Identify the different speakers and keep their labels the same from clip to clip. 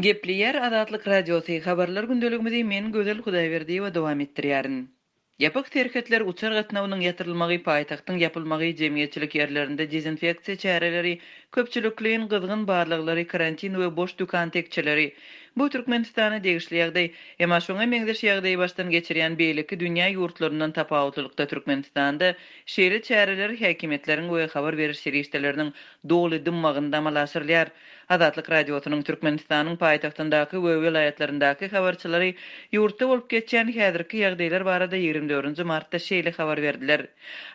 Speaker 1: Gepleýär Azatlyk Radiosy, Habarlar gündeligimizi men Gözel Hudaýberdiýewa dowam etdirýärin. Ýapyk serhetler, uçar gatnawynyň ýatyrylmagy, paýtagtyň ýapylmagy, jemgyýetçilik ýerlerinde dezinfeksiýa çäreleri, köpçülikleýin gyzgyn barlaglary, karantin we boş dükan tekjeleri. Bu Türkmenistana degişli ýagdaý. Emma şoňa meňzeş ýagdaýy başdan geçirýän beýleki dünýä ýurtlaryndan tapawutlylykda Türkmenistanda şeýle çäreler häkimiýetleriň we habar beriş serişdeleriniň doly dymmagynda amala aşyrylýar. Azatlyk Radiosynyň Türkmenistanyň paýtagtyndaky we welaýatlaryndaky habarçylary ýurtda bolup geçýän häzirki ýagdaýlar barada 24 nji martda şeýle habar berdiler.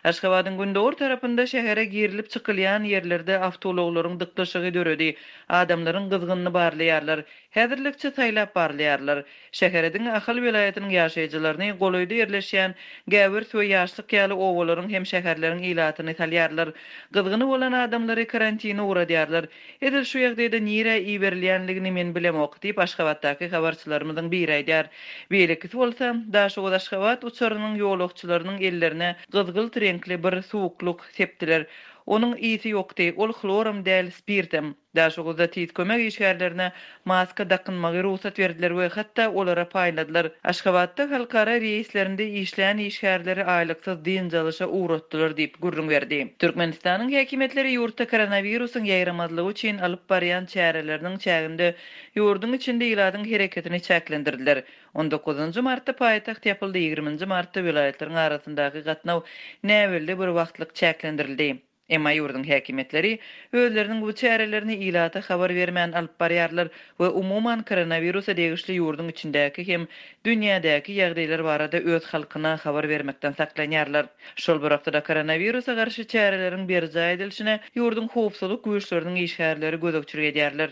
Speaker 1: Aşgabadyň gündogar tarapynda şähere girilip-çykylýan ýerlerde awtoulaglaryň dyklyşygy döredi. Adamlaryň gyzgynyny barlaýarlar. Häzirlikçe saýlap barlaýarlar. Şähere diňe Ahal welaýatynyň ýaşaýjylaryny, golaýda ýerleşýän Gäwers we Ýaşlyk ýaly obalaryň hem şäherleriň ilatyny salýarlar. Gyzgyny bolan adamlary karantine ugradýarlar. Edil şu ýagdaýda nirä iberilýänligini men bilemok, diýip, Aşgabatdaky habarçylarymyzyň biri aýdýar. Beýlekisi bolsa, Daşoguz-Aşgabat uçarynyň ýolagçylarynyň ellerine gyzgylt reňkli bir suwuklyk sepdiler. Onuň ysy ýokdy, ol hloram däl, spirtem. Daşoguzda tiz kömek işgärlerine maska dakynmagy rugsat berdiler we hatda olara paýladylar. Aşgabatda halkara reýslerinde işlän işgärleri aýlyksyz dynç alyşa ugratdylar diýip, gürrüň berdi. Türkmenistanyň häkimiýetleri ýurtda koronawirusyň ýaýramazlygy üçin alyp barýan çäreleriniň çäginde ýurduň içinde ilatyň hereketini çäklendirdiler. On dokuzynjy martda paýtagt ýapyldy, ýigriminji martda welaýatlaryň arasyndaky gatnaw näbelli bir wagtlyk çäklendirildi. Emma ýurduň häkimiýetleri özleriniň bu çärelerini ilata habar bermän alyp barýarlar we umuman koronawirusa degişli ýurduň içindäki hem dünýädäki ýagdaýlar barada öz halkyna habar bermekden saklanýarlar. Şol bir wagtda-da koronawirusa garşy çäreleriň berjaý edilişine ýurduň howpsuzlyk güýçleriniň işgärleri gözegçilik edýärler.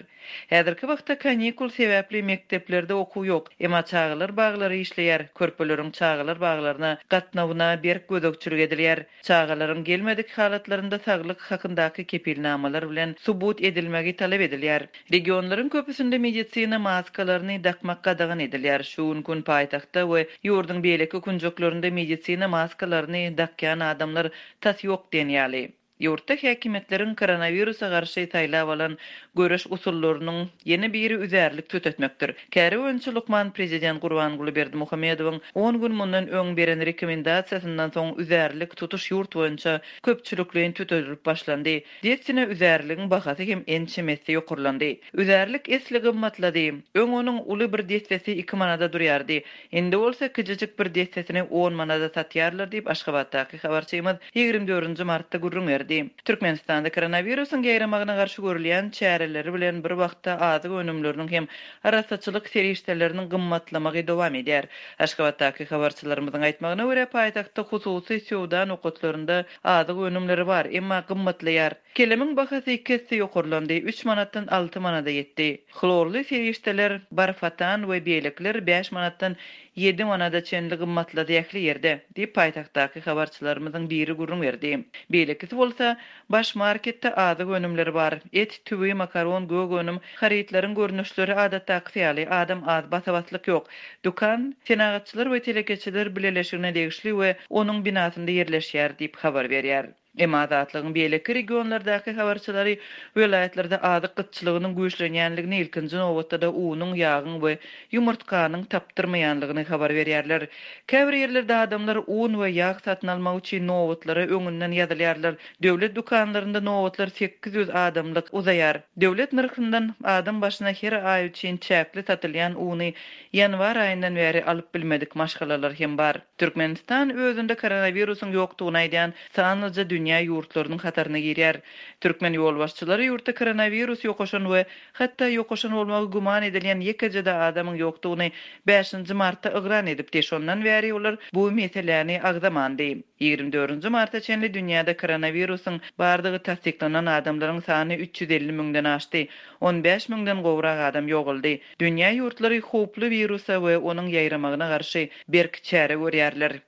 Speaker 1: Häzirki wagtda kanikul sebäpli mekdeplerde okuw ýok, emma çagalar baglary işleýär, körpeleriň çagalar baglaryna gatnawyna berk gözegçilik edilýär. Çagalaryň gelmedik halatlarynda saglyk hakyndaky kepilnamalar bilen subut edilmegi talap edilýär. Regionlaryň köpüsinde medisina maskalaryny dakmak gadagan edilýär. Şu günki gün paýtagtda we ýurduň beýleki künjeklerinde medisina maskalaryny dakýan adamlar tas ýok diýen ýaly. Ýurtda häkimiýetleriň koronawirusa garşy saýlap alan göreş usullarynyň ýene biri üzärlik tütetmekdir. Käri boýunça lukman prezident Gurbanguly Berdimuhamedowyň on gün mundan öň beren rekomendasiýasyndan soň üzärlik tutuş ýurt boýunça köpçülikleýin tütedilip başlandy. Dessine üzärligiň bahasy hem ençeme esse ýokarlandy. Üzärlik esli gymmatlady. Öň onuň uly bir dessesi iki manada durýardy. Indi bolsa kiçijik bir dessesini on manada satýarlar diýip, Aşgabatdaky habarçymyz 24 nji martda gürrüň berdi. Türkmenistanda koronawirusyň ýaýramagyna garşy görülýän çäreleri bilen bir wagtda azyk önümleriniň hem arassaçylyk serişdeleriniň gymmatlamagy dowam edýär. Aşgabatdaky habarçylarymyzyň aýtmagyna görä, paýtagtda hususy söwda nokatlarynda azyk önümleri bar, emma gymmatlaýar. Kelemiň bahasy iki esse ýokarlandy, üç manatdan alty manada ýetdi. Hlorly serişdeler, barfatan we beýlekiler bäş manatdan ýedi manada çenli gymmatlady ähli ýerde, diýip, paýtagtdaky habarçylarymyzyň biri gürrüň berdi. Beýlekisi bolsa, Baş marketde azyk önümleri bar. Et, tüwi, makaron, gök önüm, harytlaryň görnüşleri adatdakysy ýaly, adam az, basa-baslyk ýok. Dükan Senagatçylar we telekeçiler bileleşigine degişli we onuň binasynda ýerleşýär diýip habar berýär. Emma Azatlygyň beýleki regionlardaky habarçylary welaýatlarda azyk gytçylygynyň güýçlenýänligini, ilkinji nobatda-da unuň, ýagyň we ýumurtganyň tapdyrmaýanlygyny habar berýärler. Käbir ýerlerde adamlar un we ýag satyn almak üçin nobatlara öňünden ýazylýarlar. Döwlet dükanlarynda nobatlar 800 adamlyk uzaýar. Döwlet nyrhyndan adam başyna her aý üçin çäkli satylýan uny ýanwar aýyndan bäri alyp bilmedik maşgalalar hem bar. Türkmenistan özünde koronawirusyň ýokdugyny aýdýan sanlyja dünýä ýurtlarynyň hataryna girýär. Türkmen ýolbaşçylary ýurtda koronawirus ýokaşan we hatda ýokaşan bolmagy güman edilýän ýekeje-de adamyň ýokdugyny bäşinji martda yglan edipdi, şondan bäri olar bu meseläni agzamandy. Ýigrimi dördünji marta çenli dünýäde koronawirusyň bardygy tassyklanan adamlaryň sany 350 müňden aşdy, 15 müňden gowrak adam ýogaldy. Dünýä ýurtlary howply wirusa we onuň ýaýramagyna garşy berk çäre görýärler.